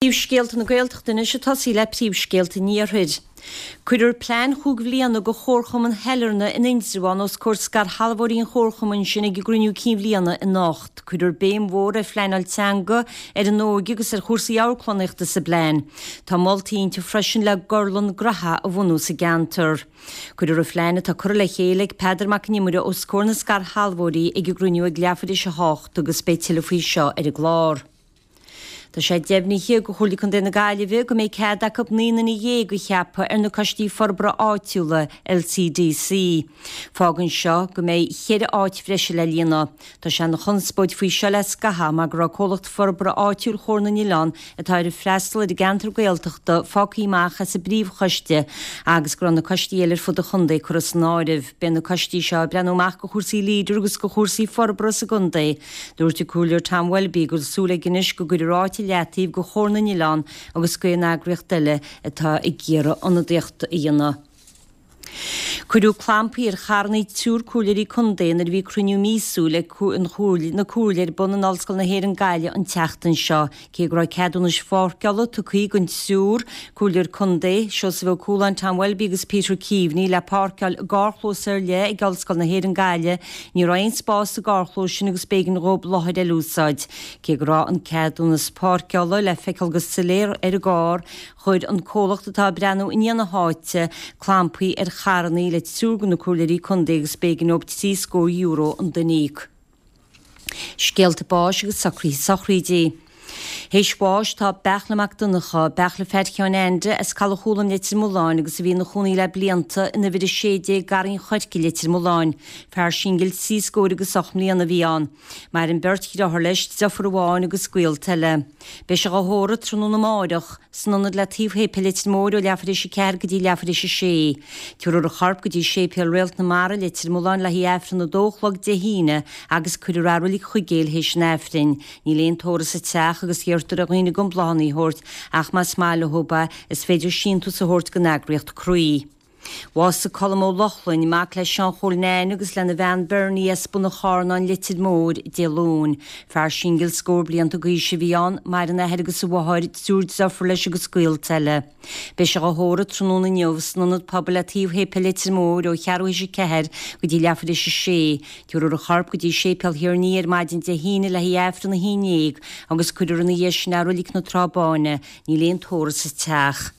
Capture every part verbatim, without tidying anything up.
Príomhscéalta na Gaeltachta anois ag tosaí le príomhscéalta an Iarthair. Cuirfear plean chúig bhliana do Chomharchumann Shailearna in Indreabhán os comhair scairshealbhóirí an chomharchumainn sin ag a gcruinniú cinn bhliana anocht. Cuirfear béim mhór ar phleanáil teanga, ar an óige agus ar chúrsaí amharclannaíochta sa bplean. Tá moltaí inti freisin le gorlann graithe a bhunú sa gceantar. Cuirfear an phlean atá curtha le chéile ag Peadar Mac an Iomaire os comhair na scairshealbhóirí ag a gcruinniú ag leathuair tar éis a hocht agus beidh tuilleadh faoi seo ar an gclár. Tá sé deimhnithe ag Comhairle Contae na Gaillimhe go mbeidh cead acu naoi nduine dhéag a cheapadh ar na coistí forbartha áitiúla, LCDC. Fágann seo go mbeidh cheithre áit bhreise le líonadh. Tá sé ina chonspóid faoi seo le scaitheamh mar go raibh comhlacht forbartha áitiúil Chomhar na nOileán atá ar freastal ar an gceantar Gaeltachta fágtha amach as an bpríomhchoiste agus go raibh na coistí eile ar fud an chontae curtha san áireamh. Beidh na coistí seo ag breathnú amach do chúrsaí Leader agus do chúrsaí forbartha sa gcontae. Dúirt an Comhairleoir Tom Welby go bhfuil súil aige anois go gcuirfear áit i leataobh do Chomhar na nOileán agus d'aon eagraíocht eile atá ag iarraidh ionadaíocht a dhéanamh. Cuireadh clampaí ar charranna triúr comhairleoirí contae nuair a bhí cruinniú míosúil ag an Chomhairle na Comhairle ar bun in Ollscoil na hÉireann Gaillimh an tseachtain seo. Cé go raibh ceadúnais pháirceála tugtha don triúr comhairleoir contae, Seosamh Ó Cualáin, Tom Welby agus Peter Keaveney, le páirceáil i gcarrchlós ar leith ag Ollscoil na hÉireann Gaillimh, ní raibh aon spás sa gcarrchlós sin agus b'éigean dhóibh láthair eile a úsáid. Cé go raibh an ceadúnas páirceála le feiceáil go soiléir ar an gcarr, chuir an comhlacht atá ag breathnú i ndiaidh na háite clampaí ar charranna le triúr de na comhairleoirí contae agus b'éigean dóibh trí scór euro an duine a íoc. Scéalta báis agus socruithe sochraíde. Théis bháis tá Beartla Mac Donncha, Beartla Pheait Sheáin Ainde as Caladh Chúlaim Leitir Mealláin agus a bhí ina chónaí le blianta in uimhir a sé déag Garraí an Choirce, Leitir Mealláin. Fear singil trí scór agus ocht mbliana a bhí ann. Maireann beirt dheartháir leis, deirfiúr amháin agus gaolta eile. Beidh sé dhá thórramh tráthnóna amáireach, san ionad le taobh shéipéal Leitir Móir ó leathuair tar éis a ceathair go dtí leathuair tar éis a sé. Tabharfar a chorp go dtí Séipéal Réalt na Mara, Leitir Mealláin le haghaidh Aifreann a dó a chlog Dé hAoine agus cuirfear é i Reilig Chuigéil théis an Aifrinn. Níl aon tórramh sa teach agus iarrtar ar dhaoine gan bláthanna a thabhairt ach más maith leo é is féidir síntiús a thabhairt don eagraíocht Croí. Bhásaigh Colm Ó Lochlainn, mac le Seán Chóil Nain agus lena bhean Bernie as Bun an Charnáin, Leitir Móir, Dé Luain. Fear singil scór blianta d'aois a bhí ann, maireann a athair agus a mháthair, triúr deirfiúr leis agus gaolta eile. Beidh sé dhá thórramh tráthnóna inniu san Ionad Pobail le taobh Shéipéal Leitir Móir ó cheathrú théis a ceathair go dtí leathuair tar éis a sé. Tabharfar a chorp go dtí Séipéal Thír an Fhia ar maidin Dé hAoine le haghaidh Aifreann a haon déag agus cuirfear ina dhiaidh sin é i Reilig na Trá Báine. Níl aon tórramh sa teach.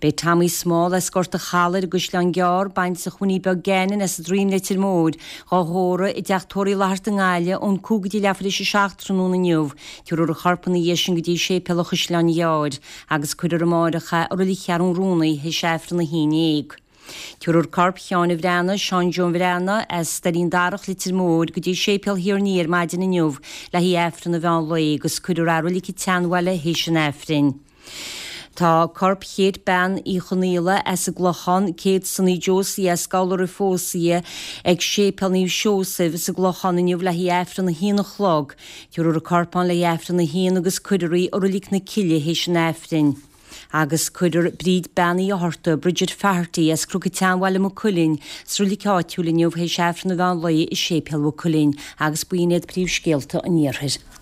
Beidh Tommy Small as Gort a' Chalaidh ar an gCaisleán Gearr, baintreach Winnie Beag Gannon as an Droim Leitir Móir, dhá thórramh i dteach tórraimh Uí Fhlatharta i nGaillimh ón cúig go dtí leathuair tar éis a seacht tráthnóna inniu. Tabharfar a chorp ina dhiaidh sin go dtí Séipéal an Chaisleáin Ghearr agus cuirfear amáireach é i Reilig Cheathrún Ruanaidh théis Aifreann a haon déag. Tabharfar corp Sheáin an Bhreathnaigh, Seán Joe an Bhreathnaigh, as Doirín Darach, Leitir Móir, go dtí Séipéal Thír an Fhia ar maidin inniu le haghaidh Aifreann an mheán lae agus cuirfear é i Reilig an tSeanbhaile théis an Aifrinn. Tá corp Chéit Bean Uí Chonaola as an gClochán, Kate Sonny Josie as Gabhla roimh phósadh ag Séipéal Naomh Seosaimh sa gClochán inniu le haghaidh Aifreann a haon a chlog. Tabharfar a corp ann le haghaidh Aifreann a haon agus cuirfear í i Reilig na Cille théis an Aifrinn. Agus cuirfear Bríd Bean Uí Fhátharta, Bridget Faherty, as Cnoc an tSeanbhaile Maigh Cuilinn, sa reilig áitiúil inniu théis Aifreann an mheán lae i Séipéal Mhaigh Cuilinn. Agus b'in iad príomhscéalta an Iarthair.